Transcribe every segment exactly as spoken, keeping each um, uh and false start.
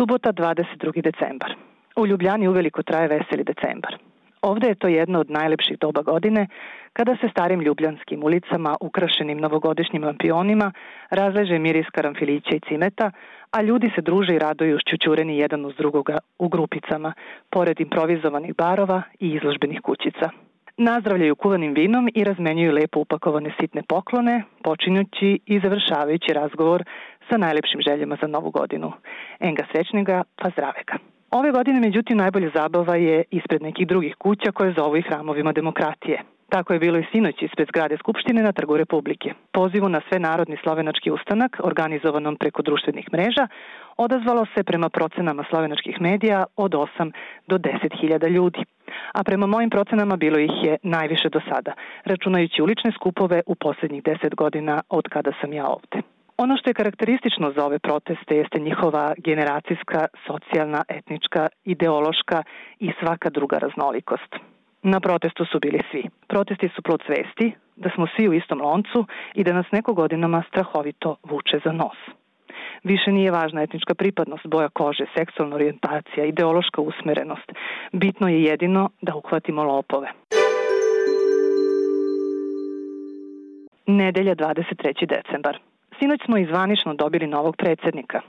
Subota, dvadeset drugi decembar. U Ljubljani uveliko traje veseli decembar. Ovde je to jedno od najlepših doba godine, kada se starim ljubljanskim ulicama, ukrašenim novogodišnjim lampionima, razleže miris karanfilića i cimeta, a ljudi se druže i raduju šćućureni jedan uz drugoga u grupicama, pored improvizovanih barova i izložbenih kućica. Nazdravljaju kuvanim vinom i razmenjuju lepo upakovane sitne poklone, počinjući i završavajući razgovor sa najlepšim željama za novu godinu. Enga srećnega, pa zdravega. Ove godine, međutim, najbolja zabava je ispred nekih drugih kuća koje zovu i hramovima demokratije. Tako je bilo i sinoć ispred zgrade Skupštine na Trgu Republike. Pozivu na svenarodni slovenački ustanak, organizovanom preko društvenih mreža, odazvalo se prema procenama slovenačkih medija od osam do deset hiljada ljudi. A prema mojim procenama bilo ih je najviše do sada, računajući ulične skupove u posljednjih deset godina od kada sam ja ovde. Ono što je karakteristično za ove proteste jeste njihova generacijska, socijalna, etnička, ideološka i svaka druga raznolikost. Na protestu su bili svi. Protesti su plod svesti da smo svi u istom loncu i da nas neko godinama strahovito vuče za nos. Više nije važna etnička pripadnost, boja kože, seksualna orijentacija, ideološka usmerenost. Bitno je jedino da uhvatimo lopove. Nedelja, dvadeset treći decembar. Sinoć smo izvanično dobili novog predsjednika.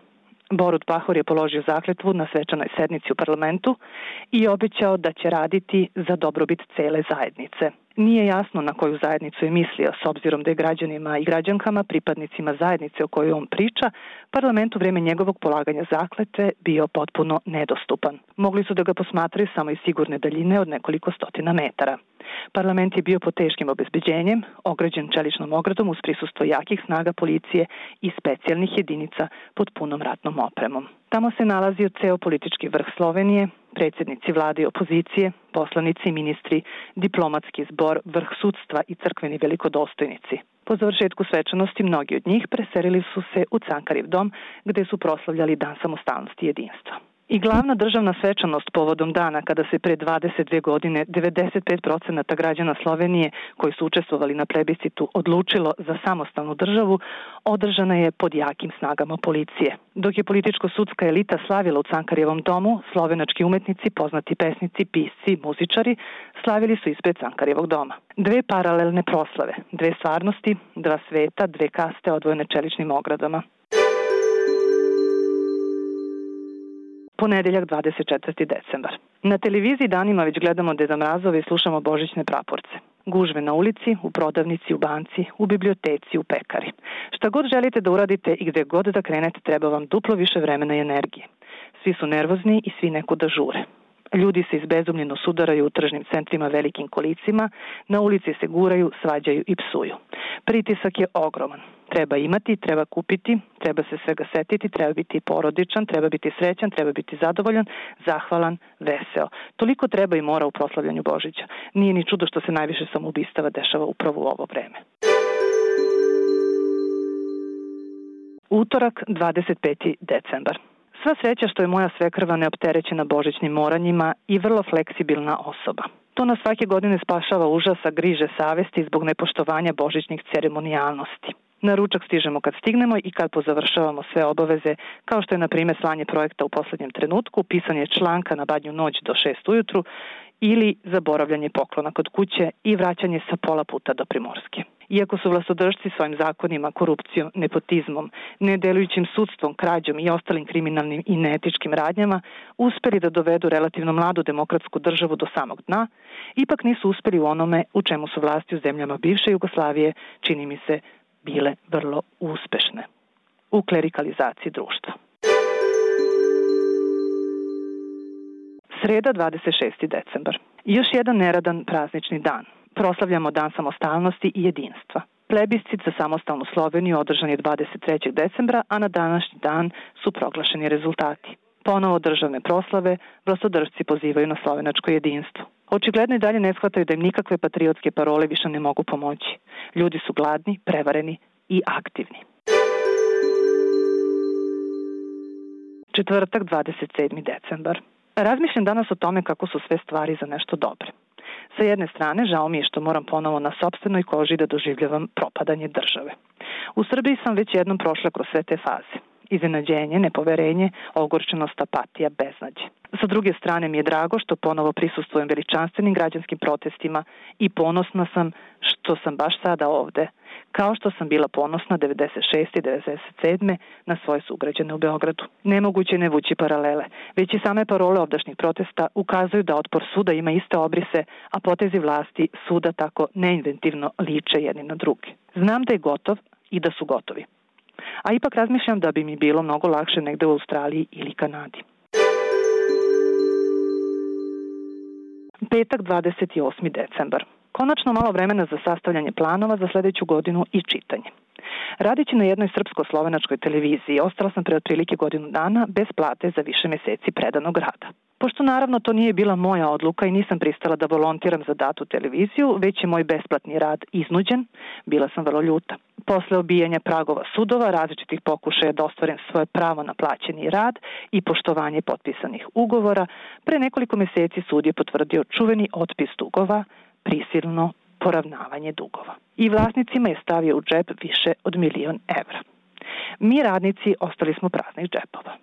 Borut Pahor je položio zakletvu na svečanoj sednici u parlamentu i obećao da će raditi za dobrobit cele zajednice. Nije jasno na koju zajednicu je mislio, s obzirom da je građanima i građankama, pripadnicima zajednice o kojoj on priča, parlament u vreme njegovog polaganja zakletve bio potpuno nedostupan. Mogli su da ga posmatraju samo iz sigurne daljine od nekoliko stotina metara. Parlament je bio pod teškim obezbeđenjem, ograđen čeličnom ogradom uz prisustvo jakih snaga policije i specijalnih jedinica pod punom ratnom opremom. Tamo se nalazio ceo politički vrh Slovenije, predsjednici vlade i opozicije, poslanici, ministri, diplomatski zbor, vrh sudstva i crkveni velikodostojnici. Po završetku svečanosti mnogi od njih preselili su se u Cankariv dom, gde su proslavljali Dan samostalnosti i jedinstva. I glavna državna svečanost povodom dana kada se pre dvadeset dve godine devedeset pet procenata građana Slovenije koji su učestvovali na plebiscitu odlučilo za samostalnu državu, održana je pod jakim snagama policije. Dok je političko-sudska elita slavila u Cankarjevom domu, slovenački umetnici, poznati pesnici, pisci, muzičari slavili su ispred Cankarjevog doma. Dve paralelne proslave, dve stvarnosti, dva sveta, dve kaste odvojene čeličnim ogradama. Ponedeljak, dvadeset četvrti decembar. Na televiziji danima već gledamo Deda Mrazove i slušamo božićne praporce. Gužve na ulici, u prodavnici, u banci, u biblioteci, u pekari. Šta god želite da uradite i gde god da krenete, treba vam duplo više vremena i energije. Svi su nervozni i svi nekuda žure. Ljudi se izbezumljeno sudaraju u tržnim centrima velikim kolicima, na ulici se guraju, svađaju i psuju. Pritisak je ogroman. Treba imati, treba kupiti, treba se svega setiti, treba biti porodičan, treba biti srećan, treba biti zadovoljan, zahvalan, veseo. Toliko treba i mora u proslavljanju Božića. Nije ni čudo što se najviše samoubistava dešava upravo u ovo vreme. Utorak, dvadeset peti decembar. Sva sreća što je moja svekrva neopterećena božićnim moranjima i vrlo fleksibilna osoba. To nas svake godine spašava užasa, griže savesti zbog nepoštovanja božićnih ceremonijalnosti. Na ručak stižemo kad stignemo i kad pozavršavamo sve obaveze, kao što je na primjer slanje projekta u poslednjem trenutku, pisanje članka na badnju noć do šest ujutru ili zaboravljanje poklona kod kuće i vraćanje sa pola puta do Primorske. Iako su vlastodržci svojim zakonima, korupcijom, nepotizmom, nedelujućim sudstvom, krađom i ostalim kriminalnim i neetičkim radnjama uspeli da dovedu relativno mladu demokratsku državu do samog dna, ipak nisu uspeli u onome u čemu su vlasti u zemljama bivše Jugoslavije, čini mi se, bile vrlo uspešne. U klerikalizaciji društva. Sreda, dvadeset šesti decembar. Još jedan neradan praznični dan. Proslavljamo Dan samostalnosti i jedinstva. Plebiscit za samostalnu Sloveniju održan je dvadeset trećeg decembra, a na današnji dan su proglašeni rezultati. Ponovo državne proslave, vlastodržci pozivaju na slovenačko jedinstvo. Očigledno i dalje ne shvataju da im nikakve patriotske parole više ne mogu pomoći. Ljudi su gladni, prevareni i aktivni. Četvrtak, dvadeset sedmi decembar. Razmišljam danas o tome kako su sve stvari za nešto dobre. Sa jedne strane, žao mi je što moram ponovo na sopstvenoj koži da doživljavam propadanje države. U Srbiji sam već jednom prošla kroz sve te faze. iznenađenje, nepoverenje, ogorčenost, apatija, beznađe. Sa druge strane mi je drago što ponovo prisustvujem veličanstvenim građanskim protestima i ponosna sam što sam baš sada ovde, kao što sam bila ponosna devedeset šeste i devedeset sedme na svoje sugrađane u Beogradu. Nemoguće ne vući paralele, već i same parole ovdašnjih protesta ukazuju da otpor suda ima iste obrise, a potezi vlasti suda tako neinventivno liče jedni na druge. Znam da je gotov i da su gotovi. A ipak razmišljam da bi mi bilo mnogo lakše negde u Australiji ili Kanadi. Petak, dvadeset osmi decembar. Konačno malo vremena za sastavljanje planova za sledeću godinu i čitanje. Radići na jednoj srpsko-slovenačkoj televiziji, ostala sam pre otprilike godinu dana bez plate za više meseci predanog rada. Pošto naravno to nije bila moja odluka i nisam pristala da volontiram za datu televiziju, već je moj besplatni rad iznuđen, bila sam vrlo ljuta. Posle obijanja pragova sudova, različitih pokušaja da ostvarim svoje pravo na plaćeni rad i poštovanje potpisanih ugovora, pre nekoliko meseci sud je potvrdio čuveni otpis dugova, prisilno poravnavanje dugova. I vlasnicima je stavio u džep više od milion evra. Mi radnici ostali smo praznih džepova.